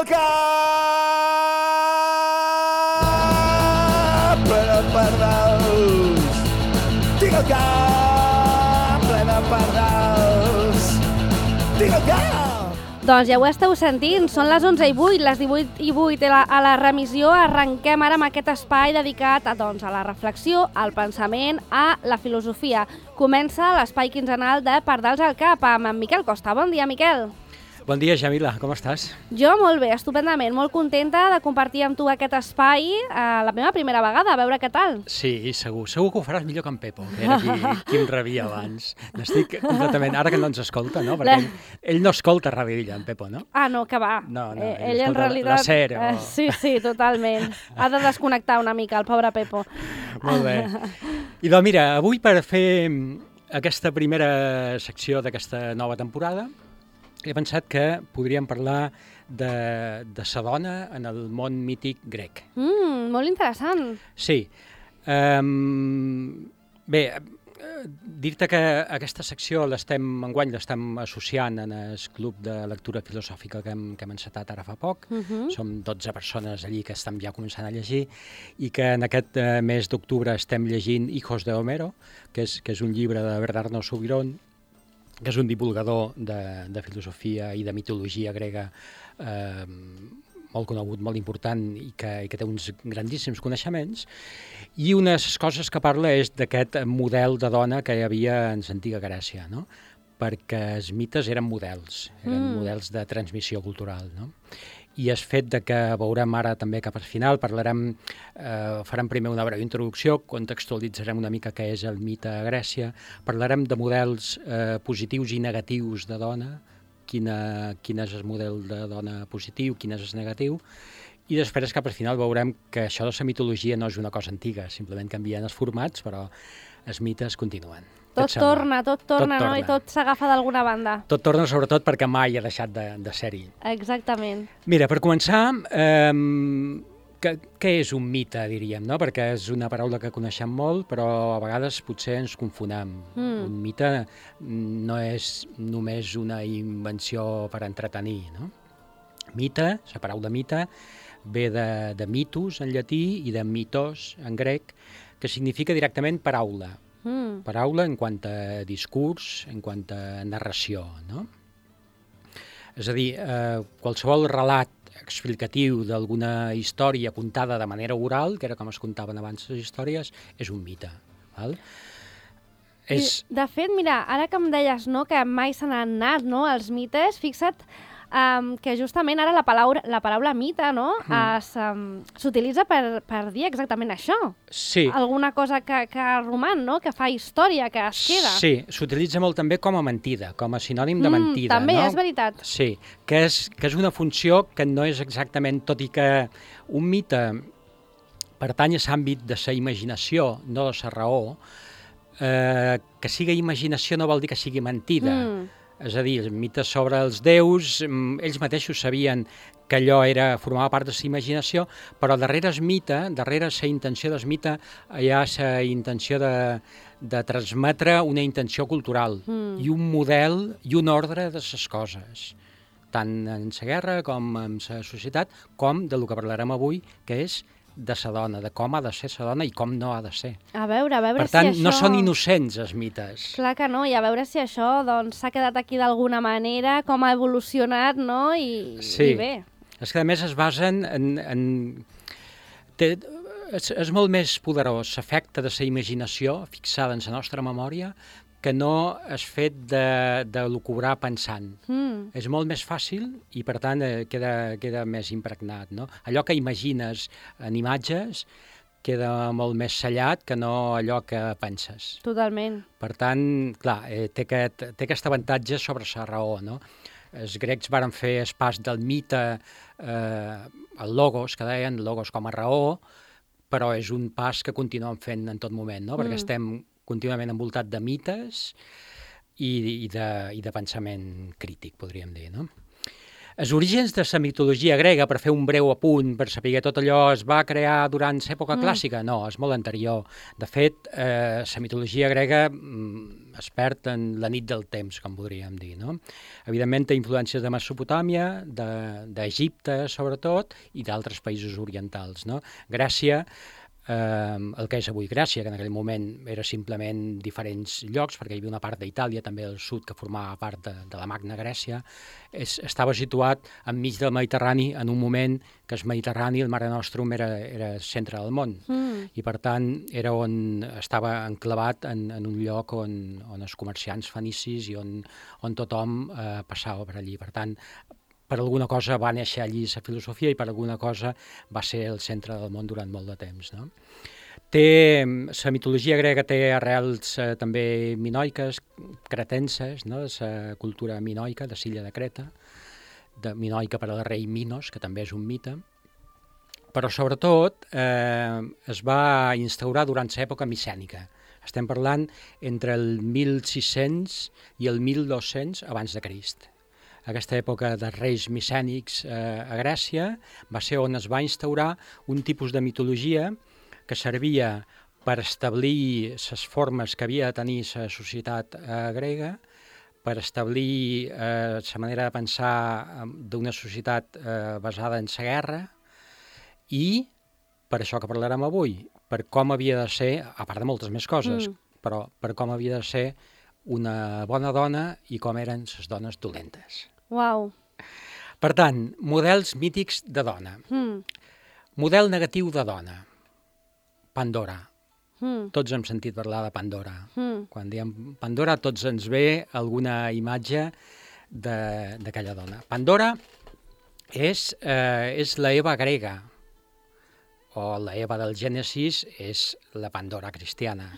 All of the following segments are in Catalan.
el cap ple de pardals. Tinc el cap ple de pardals. Tinc el cap. Doncs ja ho esteu sentint, són les 11:08, les 18:08 a la remissió. Arrenquem ara amb aquest espai dedicat a la reflexió, al pensament, a la filosofia. Comença l'espai quinzenal de Pardals al cap amb en Miquel Costa. Bon dia, Miquel. Bon dia, Jamila, com estàs? Jo molt bé, estupendament, molt contenta de compartir amb tu aquest espai la meva primera vegada, a veure què tal. Sí, segur que ho faràs millor que en Pepo, que era qui em rebia abans. N'estic completament, ara que no ens escolta, no? Perquè ell no escolta Ràdio Illa, en Pepo, no? Ah, no, que va. No, ell en realitat... la SER. Sí, totalment. Ha de desconnectar una mica, el pobre Pepo. Molt bé. I doncs mira, avui per fer aquesta primera secció d'aquesta nova temporada, he pensat que podríem parlar de sa dona en el món mític grec. Molt interessant. Sí. Bé, dir-te que aquesta secció enguany l'estem associant en el club de lectura filosòfica que hem encetat ara fa poc. Som 12 persones allí que estem ja començant a llegir i que en aquest mes d'octubre estem llegint Hijos de Homero, que és un llibre de Bernardo Subirón, que és un divulgador de filosofia i de mitologia grega molt conegut, molt important i que té uns grandíssims coneixements. I una de les coses que parla és d'aquest model de dona que hi havia en l'antiga Grècia, no? Perquè els mites eren models de transmissió cultural, no? I el fet de que veurem ara també cap al final, farem primer una breu introducció, contextualitzarem una mica què és el mite a Grècia, parlarem de models positius i negatius de dona, quin és el model de dona positiu, quin és el negatiu, i després cap al final veurem que això de la mitologia no és una cosa antiga, simplement canvien els formats, però els mites continuen. Tot torna, no? I tot s'agafa d'alguna banda. Tot torna, sobretot, perquè mai ha deixat de ser-hi. Exactament. Mira, per començar, què és un mite, diríem, no? Perquè és una paraula que coneixem molt, però a vegades potser ens confonem. Un mite no és només una invenció per entretenir, no? Mite, la paraula mite, ve de mitos en llatí i de mitos en grec, que significa directament paraula. Paraula en quant a discurs, en quant a narració, no? És a dir, qualsevol relat explicatiu d'alguna història contada de manera oral, que era com es contaven abans les històries, és un mite. Val? De fet, mira, ara que em deies que mai se n'han anat els mites, fixa't que justament ara la paraula mite s'utilitza per dir exactament això. Sí. Alguna cosa que roman, que fa història, que es queda. Sí, s'utilitza molt també com a mentida, com a sinònim de mentida. També, no? És veritat. Sí, que és una funció que no és exactament, tot i que un mite pertany a l'àmbit de la imaginació, no de la raó, que sigui imaginació no vol dir que sigui mentida. És a dir, els mites sobre els déus, ells mateixos sabien que allò formava part de la imaginació, però darrere el mite, darrere la intenció del mite, hi ha la intenció de transmetre una intenció cultural i un model i un ordre de les coses, tant en la guerra com en la societat, com de lo que parlarem avui, que és de sa dona, de com ha de ser sa dona i com no ha de ser. A veure si això... Per tant, no són innocents els mites. Clar que no, i a veure si això s'ha quedat aquí d'alguna manera, com ha evolucionat, no? I bé. És que a més es basen és molt més poderós l'efecte de la imaginació fixada en la nostra memòria que no és fet de lucubrar pensant. És molt més fàcil i, per tant, queda més impregnat, no? Allò que imagines en imatges queda molt més sellat que no allò que penses. Totalment. Per tant, clar, té aquest avantatge sobre la raó, no? Els grecs varen fer el pas del mite al logos, que deien logos com a raó, però és un pas que continuem fent en tot moment, no? Perquè estem contínuament envoltat de mites i de pensament crític, podríem dir, no? Els orígens de la mitologia grega, per fer un breu apunt, per saber tot allò es va crear durant l'època clàssica? No, és molt anterior. De fet, la mitologia grega es perd en la nit del temps, com podríem dir, no? Evidentment, té influències de Mesopotàmia, d'Egipte, sobretot, i d'altres països orientals, no? Grècia, el que és avui Grècia, que en aquell moment era simplement diferents llocs, perquè hi havia una part d'Itàlia, també al sud, que formava part de la Magna Grècia, estava situat enmig del Mediterrani en un moment que el Mediterrani, el Mare Nostrum, era el centre del món. I per tant era on estava enclavat en un lloc on els comerciants fenicis i on tothom passava per allí. Per tant, per alguna cosa va néixer allí la filosofia i per alguna cosa va ser el centre del món durant molt de temps, no? La mitologia grega té arrels també minoiques, cretenses, no? La cultura minoica de l'illa de Creta, minoica per al rei Minos, que també és un mite, però sobretot es va instaurar durant l'època micènica. Estem parlant entre el 1600 i el 1200 abans de Crist. Aquesta època dels reis micènics a Grècia va ser on es va instaurar un tipus de mitologia que servia per establir les formes que havia de tenir la societat grega, per establir la manera de pensar d'una societat basada en la guerra i, per això que parlarem avui, per com havia de ser, a part de moltes més coses, però per com havia de ser una bona dona i com eren les dones dolentes. Uau! Per tant, models mítics de dona. Model negatiu de dona. Pandora. Tots hem sentit parlar de Pandora. Quan diem Pandora, tots ens ve alguna imatge d'aquella dona. Pandora és la Eva grega, o la Eva del Gènesis és la Pandora cristiana,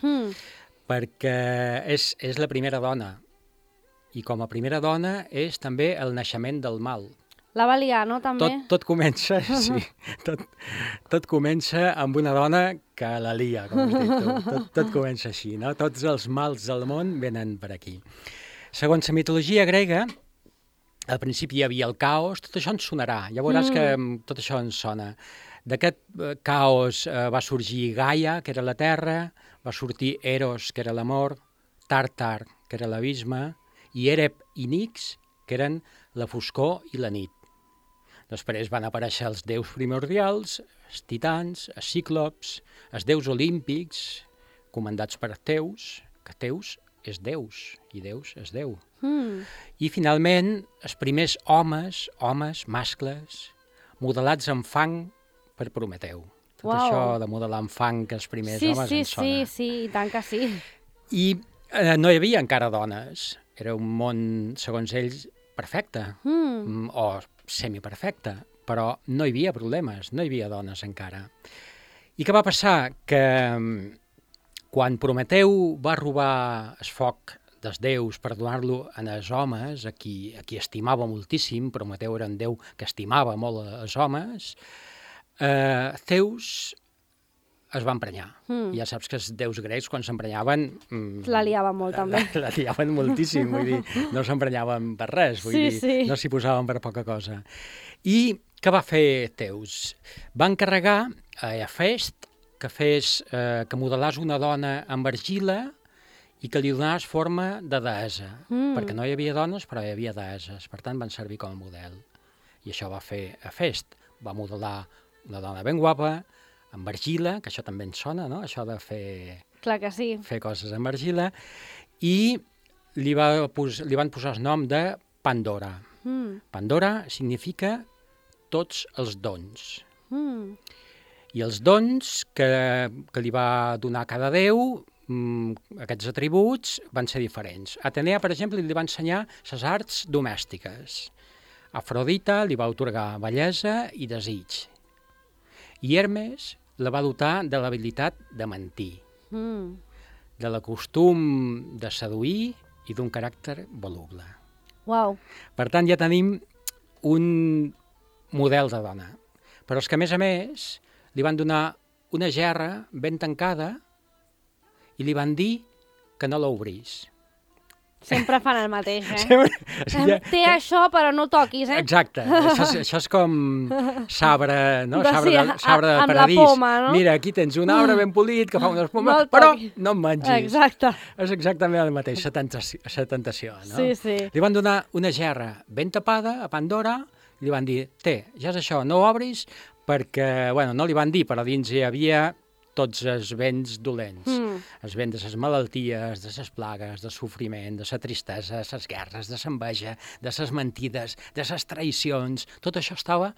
perquè és la primera dona, i com a primera dona és també el naixement del mal. La va liar, no, també? Tot comença, sí, tot comença amb una dona que la lia, com has dit tu. Tot comença així, no? Tots els mals del món venen per aquí. Segons la mitologia grega, al principi hi havia el caos, tot això ens sonarà, ja veuràs que tot això ens sona. D'aquest caos va sorgir Gaia, que era la terra, va sortir Eros, que era l'amor, Tàrtar, que era l'abisme, i Ereb i Nix, que eren la foscor i la nit. Després van aparèixer els déus primordials, els titans, els cíclops, els déus olímpics, comandats per Teus, que Teus és Deus, i Deus és Déu. I finalment, els primers homes, mascles, modelats en fang per Prometeu. Tot això de modelar en fang que els primers homes ens sona. Sí, i tant que sí. I no hi havia encara dones. Era un món, segons ells, perfecte, o semiperfecte, però no hi havia problemes, no hi havia dones encara. I què va passar? Que quan Prometeu va robar el foc dels déus per donar-lo als homes, a qui estimava moltíssim, Prometeu era un déu que estimava molt els homes, Zeus es va emprenyar. Ja saps que els déus grecs, quan s'emprenyaven... La liaven molt, també. La liaven moltíssim, vull dir, no s'emprenyaven per res, vull dir, no s'hi posaven per poca cosa. I què va fer Zeus? Va encarregar a Hefest que modelàs una dona amb argila i que li donàs forma de deessa, perquè no hi havia dones, però hi havia deesses, per tant van servir com a model. I això va fer Hefest, va modelar una dona ben guapa, amb argila, que això també ens sona, no?, això de fer... Clar que sí. Fer coses amb argila, i li van posar el nom de Pandora. Pandora significa tots els dons. I els dons que li va donar cada déu, aquests atributs, van ser diferents. Atenea, per exemple, li va ensenyar les arts domèstiques. Afrodita li va atorgar bellesa i desig. I Hermes la va dotar de l'habilitat de mentir, de la costum de seduir i d'un caràcter voluble. Uau. Per tant, ja tenim un model de dona. Però és que, a més, li van donar una gerra ben tancada i li van dir que no l'obrís. Sempre fan el mateix, eh? Sempre... Té això, però no toquis, eh? Exacte. Això és com sabre, no? Sí, Sabre de amb la paradís. poma, no? Mira, aquí tens un arbre ben polit que fa unes pomes, No el però toquis. no em mengis. Exacte. És exactament el mateix, la tentació, no? Sí, sí. Li van donar una gerra ben tapada a Pandora i li van dir, ja és això, no ho obris, perquè, bueno, no li van dir, però dins hi havia tots els vents dolents. Els vents de les malalties, de les plagues, del sofriment, de la tristesa, de les guerres, de l'enveja, de les mentides, de les traïcions. Tot això estava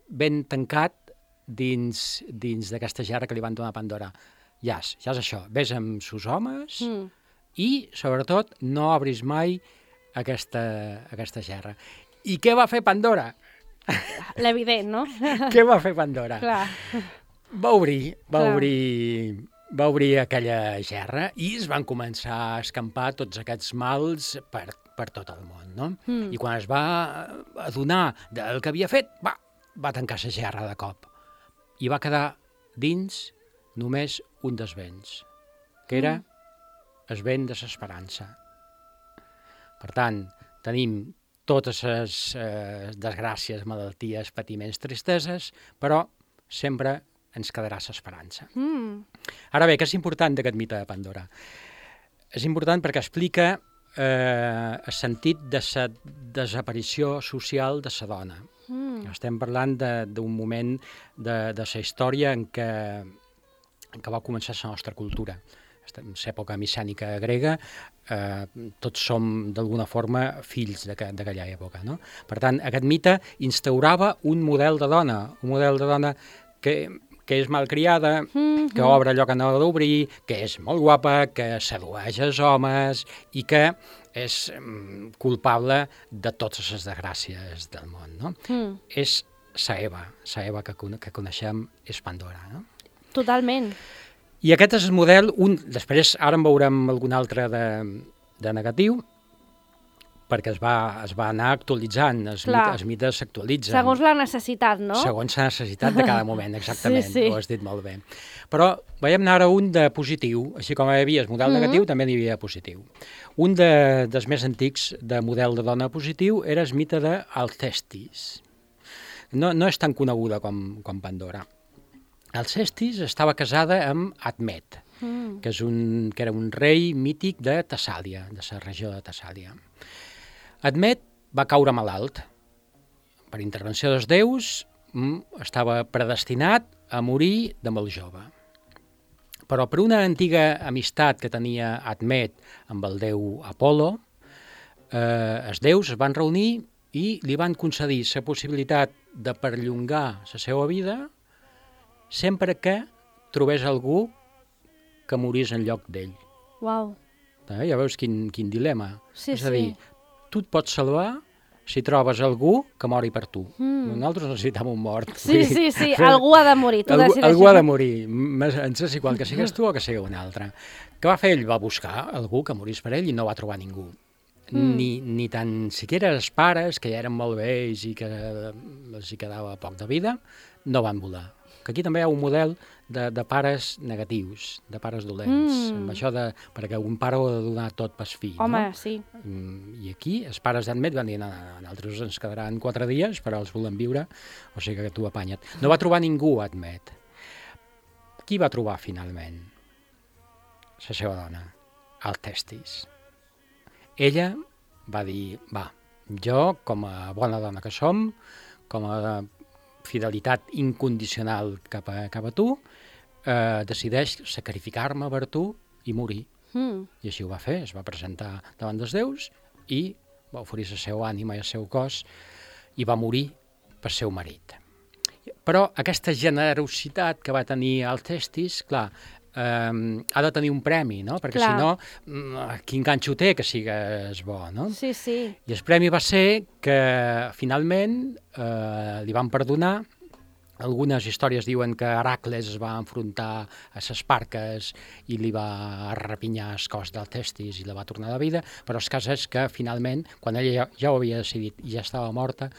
ben tancat dins d'aquesta gerra que li van donar a Pandora. Ja és això, vés amb sus homes i, sobretot, no obris mai aquesta gerra. I què va fer Pandora? L'evident, no? Què va fer Pandora? Clar. Va obrir aquella gerra i es van començar a escampar tots aquests mals per tot el món, no? I quan es va adonar del que havia fet, va tancar la gerra de cop. I va quedar dins només un dels vents, que era el vent de l'esperança. Per tant, tenim totes les desgràcies, malalties, patiments, tristeses, però sempre ens quedarà l'esperança. Ara bé, què és important d'aquest mite de Pandora? És important perquè explica el sentit de la desaparició social de la dona. Estem parlant d'un moment de la història en què va començar la nostra cultura. En l'època micènica grega, tots som d'alguna forma fills d'aquella època, no? Per tant, aquest mite instaurava un model de dona que és malcriada, que obre allò que no ha d'obrir, que és molt guapa, que sedueix els homes i que és culpable de totes les desgràcies del món, no? És la Eva que coneixem és Pandora, no? Totalment. I aquest és el model, després ara en veurem algun altre de negatiu, perquè es va anar actualitzant, els mites s'actualitzen. Segons la necessitat, no? Segons la necessitat de cada moment, exactament, sí. Ho has dit molt bé. Però veiem ara un de positiu, així com hi havia el model negatiu, també n'hi havia positiu. Un dels més antics de model de dona positiu era el mite d'Alcestis. No és tan coneguda com Pandora. Alcestis estava casada amb Admet, que era un rei mític de Tessàlia, de la regió de Tessàlia. Admet va caure malalt. Per intervenció dels déus estava predestinat a morir de molt jove. Però per una antiga amistat que tenia Admet amb el déu Apol·lo, els déus es van reunir i li van concedir la possibilitat de perllongar la seva vida sempre que trobés algú que morís en lloc d'ell. Uau. Ja veus quin dilema. Sí, és a dir, tu et pots salvar si trobes algú que mori per tu. Nosaltres necessitem un mort. Sí, algú ha de morir. Algú ha de morir. Ens és igual que sigues tu o que sigui un altre. Què va fer ell? Va buscar algú que morís per ell i no va trobar ningú. Ni tan siquiera els pares, que ja eren molt vells i que els hi quedava poc de vida, no van voler. Que aquí també hi ha un model de pares negatius, de pares dolents, amb això perquè un pare ho ha de donar tot pel fill. Home, no? sí. I aquí els pares d'Admet van dir, nosaltres ens quedaran 4 dies, però els volem viure, o sigui que tu apanya't. No va trobar ningú Admet. Qui va trobar finalment? La seva dona, Alcestis. Ella va dir, jo, com a bona dona que som, com a fidelitat incondicional cap a tu, decideix sacrificar-me per tu i morir. I així ho va fer, es va presentar davant dels déus i va oferir la seva ànima i el seu cos i va morir per seu marit. Però aquesta generositat que va tenir Alcestis, clar, ha de tenir un premi, no? Perquè si no, quin ganxo té que sigues bo, no? Sí. I el premi va ser que finalment li van perdonar. Algunes històries diuen que Heracles es va enfrontar a les Parques i li va repinyar el cos d'Alcestis i la va tornar a la vida, però el cas és que finalment, quan ella ja ho havia decidit i ja estava morta,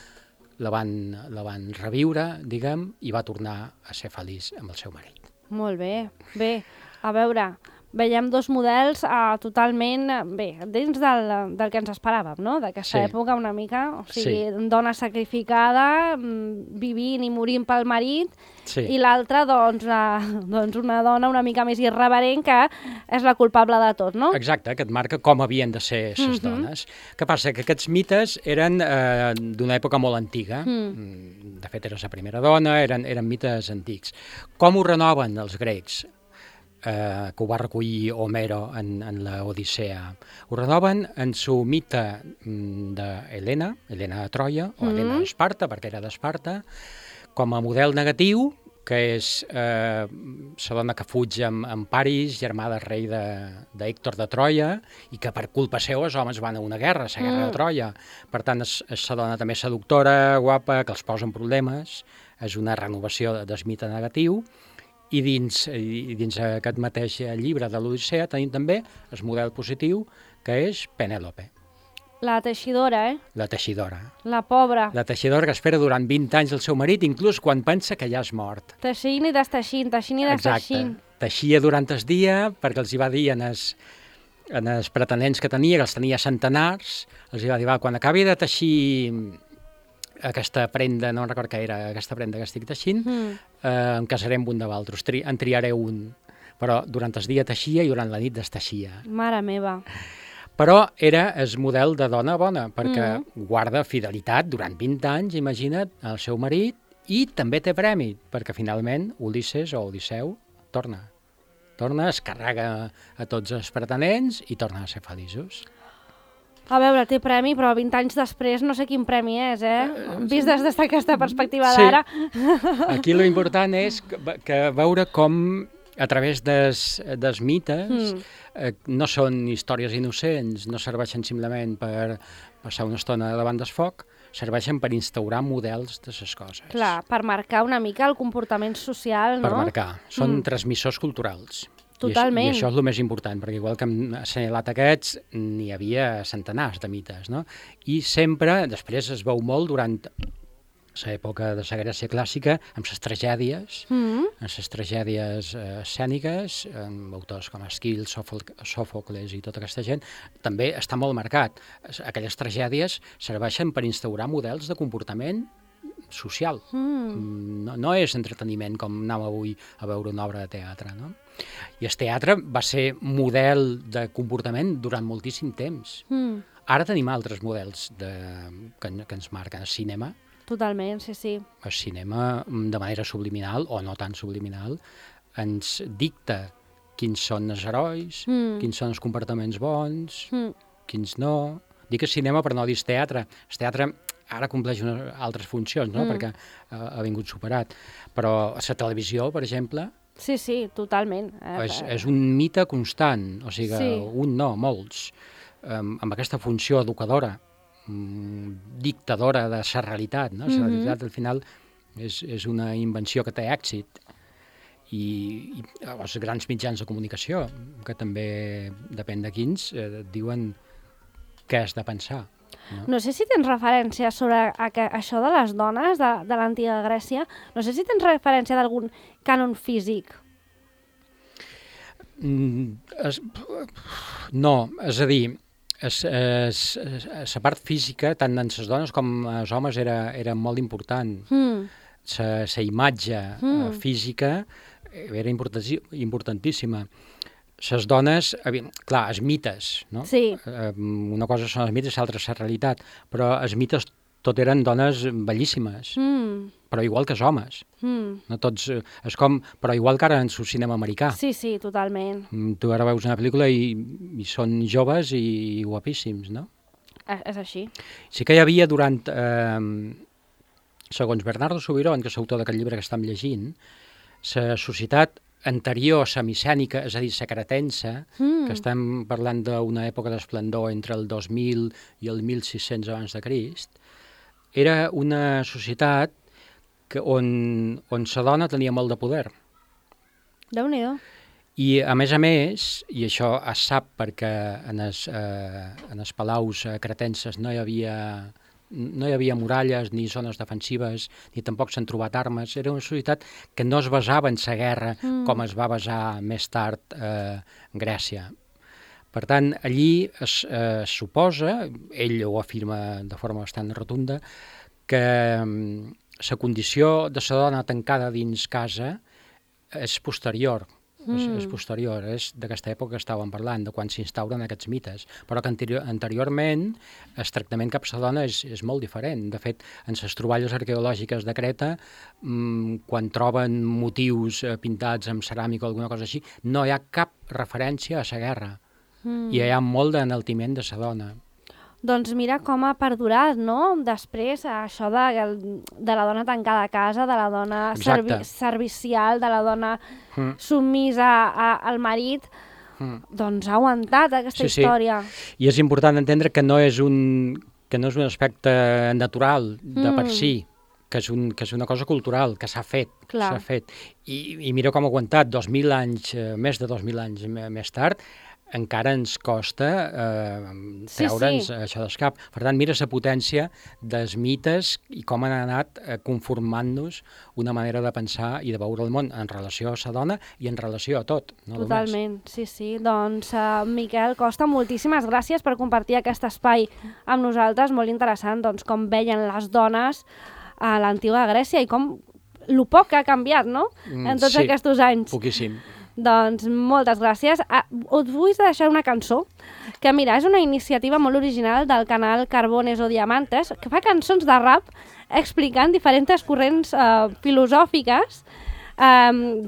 la van reviure, diguem, i va tornar a ser feliç amb el seu marit. Molt bé. Bé, a veure, veiem dos models totalment, bé, dins del que ens esperàvem, no? D'aquesta època una mica, o sigui, dona sacrificada, vivint i morint pel marit, i l'altra, doncs, una dona una mica més irreverent que és la culpable de tot, no? Exacte, que et marca com havien de ser les dones. Què passa? Que aquests mites eren d'una època molt antiga. De fet, era la primera dona, eren mites antics. Com ho renoven els grecs? Que ho va recollir Homero en l'Odissea. Ho renoven en su mite d'Helena, Helena de Troia, o Helena d'Esparta, perquè era d'Esparta, com a model negatiu, que és la dona que fuig amb Paris, germà del rei d'Hèctor de Troia, i que per culpa seva els homes van a una guerra, la guerra de Troia. Per tant, és la dona també seductora, guapa, que els posa en problemes, és una renovació del mite negatiu. I dins aquest mateix llibre de l'Odissea tenim també el model positiu, que és Penèlope. La teixidora, La teixidora. La pobra. La teixidora que espera durant 20 anys el seu marit, inclús quan pensa que ja és mort. Teixint i desteixint, teixint i desteixint. Exacte. Teixia durant el dia, perquè els hi va dir en els pretenents que tenia, que els tenia centenars, els hi va dir, quan acabi de teixir aquesta prenda, no recordo què era, aquesta prenda que estic teixint, em casaré amb un de vosaltres, en triaré un. Però durant el dia teixia i durant la nit desteixia. Mare meva. Però era el model de dona bona, perquè guarda fidelitat durant 20 anys, imagina't, al seu marit, i també té premi, perquè finalment Ulisses o Odisseu torna, es carrega a tots els pretenents i torna a ser feliços. A veure, té premi, però 20 anys després no sé quin premi és, vist des d'aquesta perspectiva d'ara. Aquí l'important és que veure com a través dels mites no són històries innocents, no serveixen simplement per passar una estona davant del foc, serveixen per instaurar models de les coses. Clar, per marcar una mica el comportament social, no? Per marcar. Són transmissors culturals. Totalment. I això és el més important, perquè igual que hem assenyalat aquests, n'hi havia centenars de mites, no? I sempre, després es veu molt durant l'època de la Grècia clàssica, amb les tragèdies, amb les tragèdies escèniques, amb autors com Esquil, Sòfocles i tota aquesta gent, també està molt marcat. Aquelles tragèdies serveixen per instaurar models de comportament social. No és entreteniment com anàvem avui a veure una obra de teatre, no? I el teatre va ser model de comportament durant moltíssim temps. Ara tenim altres models que ens marquen. El cinema. Totalment, sí. El cinema, de manera subliminal, o no tan subliminal, ens dicta quins són els herois, quins són els comportaments bons, quins no. Dic el cinema per no dir el teatre. El teatre ara compleix altres funcions, no? Perquè ha vingut superat. Però la televisió, per exemple... Sí, totalment. És un mite constant, o sigui, un no, molts, amb aquesta funció educadora, dictadora de la realitat, no? La realitat, al final, és una invenció que té èxit. I els grans mitjans de comunicació, que també, depèn de quins, diuen què has de pensar. No sé si tens referència sobre això de les dones de l'antiga Grècia, no sé si tens referència d'algun cànon físic. No, és a dir, la part física, tant en les dones com en els homes, era molt important. La imatge física era importantíssima. Les dones, clar, els mites, no? Sí. Una cosa són els mites, l'altra és la realitat, però els mites tot eren dones bellíssimes, però igual que els homes. No tots, és com, però igual que ara en el cinema americà. Sí, totalment. Tu ara veus una pel·lícula i són joves i guapíssims, no? És així. Sí que hi havia durant, segons Bernardo Subirón, que és l'autor d'aquest llibre que estem llegint, la societat anterior semicènica, és a dir, la cretense, que estem parlant d'una època d'esplendor entre el 2000 i el 1600 abans de Crist, era una societat on la dona tenia molt de poder. Déu-n'hi-do. I, a més, i això es sap perquè en els palaus cretenses no hi havia no hi havia muralles ni zones defensives, ni tampoc s'han trobat armes. Era una societat que no es basava en la guerra com es va basar més tard Grècia. Per tant, allí es suposa, ell ho afirma de forma bastant rotunda, que la condició de la dona tancada dins casa és posterior, és d'aquesta època que estàvem parlant, de quan s'instauren aquests mites, però que anteriorment el tractament cap a la dona és molt diferent. De fet, en les troballes arqueològiques de Creta, quan troben motius pintats amb ceràmica o alguna cosa així, no hi ha cap referència a la guerra, i hi ha molt d'enaltiment de la dona. Doncs mira com ha perdurat, no?, després això de la dona tancada a casa, de la dona servicial, de la dona submisa al marit, doncs ha aguantat aquesta història. I és important entendre que no és un aspecte natural de per si, que és una cosa cultural, que s'ha fet. I mira com ha aguantat 2.000 anys, més de 2.000 anys més tard, encara ens costa treure'ns això d'escap. Per tant, mira la potència dels mites i com han anat conformant-nos una manera de pensar i de veure el món en relació a la dona i en relació a tot. Totalment, sí. Doncs, Miquel Costa, moltíssimes gràcies per compartir aquest espai amb nosaltres, molt interessant, doncs, com veien les dones a l'antiga Grècia i com lo poc que ha canviat, no?, en tots aquests anys. Poquíssim. Doncs moltes gràcies. Us vull deixar una cançó, que mira, és una iniciativa molt original del canal Carbones o Diamantes, que fa cançons de rap explicant diferents corrents filosòfiques.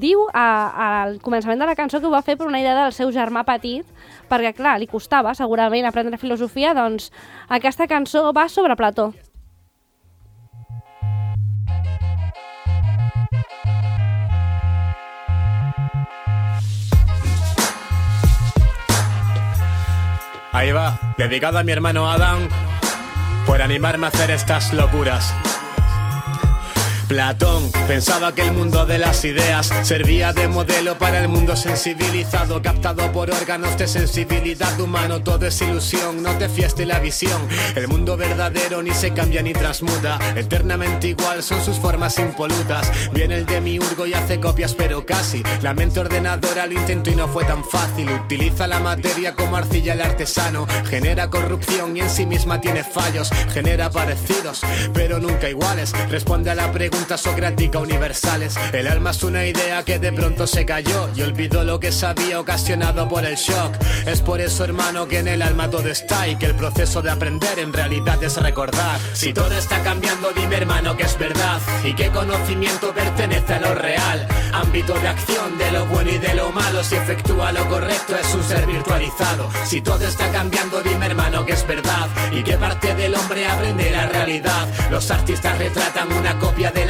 Diu al començament de la cançó que ho va fer per una idea del seu germà petit, perquè clar, li costava segurament aprendre filosofia, doncs aquesta cançó va sobre Plató. Ahí va, dedicado a mi hermano Adán, por animarme a hacer estas locuras. Platón pensaba que el mundo de las ideas servía de modelo para el mundo sensibilizado, captado por órganos de sensibilidad humano. Todo es ilusión, no te fíes de la visión. El mundo verdadero ni se cambia ni transmuta, eternamente igual son sus formas impolutas. Viene el demiurgo y hace copias pero casi. La mente ordenadora lo intentó y no fue tan fácil. Utiliza la materia como arcilla el artesano, genera corrupción y en sí misma tiene fallos. Genera parecidos pero nunca iguales. Responde a la pregunta socrática universales. El alma es una idea que de pronto se cayó y olvidó lo que sabía ocasionado por el shock. Es por eso, hermano, que en el alma todo está y que el proceso de aprender en realidad es recordar. Si todo está cambiando, dime, hermano, que es verdad y qué conocimiento pertenece a lo real. Ámbito de acción de lo bueno y de lo malo. Si efectúa lo correcto es un ser virtualizado. Si todo está cambiando, dime, hermano, que es verdad y qué parte del hombre aprende la realidad. Los artistas retratan una copia de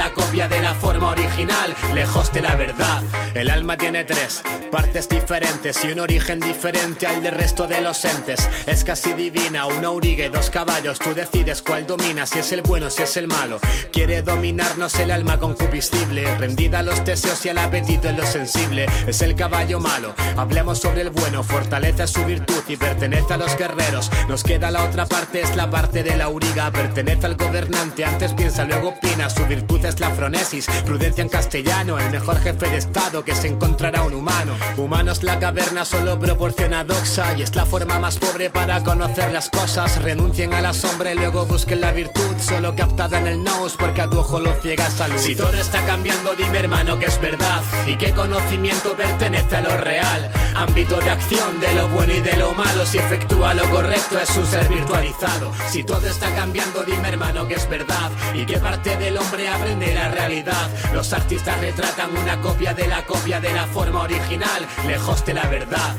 la forma original, lejos de la verdad. El alma tiene tres partes diferentes y un origen diferente al del resto de los entes. Es casi divina, una auriga y dos caballos. Tú decides cuál domina, si es el bueno, si es el malo. Quiere dominarnos el alma concupiscible, rendida a los deseos y al apetito en lo sensible. Es el caballo malo, hablemos sobre el bueno. Fortalece su virtud y pertenece a los guerreros. Nos queda la otra parte, es la parte de la auriga. Pertenece al gobernante, antes piensa, luego opina. Su virtud es la fronesis, prudencia en castellano. El mejor jefe de estado que se encontrará un humano. Humano es la caverna, solo proporciona doxa y es la forma más pobre para conocer las cosas. Renuncien a la sombra y luego busquen la virtud, solo captada en el nous porque a tu ojo lo ciega esa luz. Si todo está cambiando, dime, hermano, que es verdad y qué conocimiento pertenece a lo real. Ámbito de acción de lo bueno y de lo malo. Si efectúa lo correcto es un ser virtualizado. Si todo está cambiando, dime, hermano, que es verdad y qué parte del hombre aprende la realidad. Los artistas retratan una copia de la forma original, lejos de la verdad.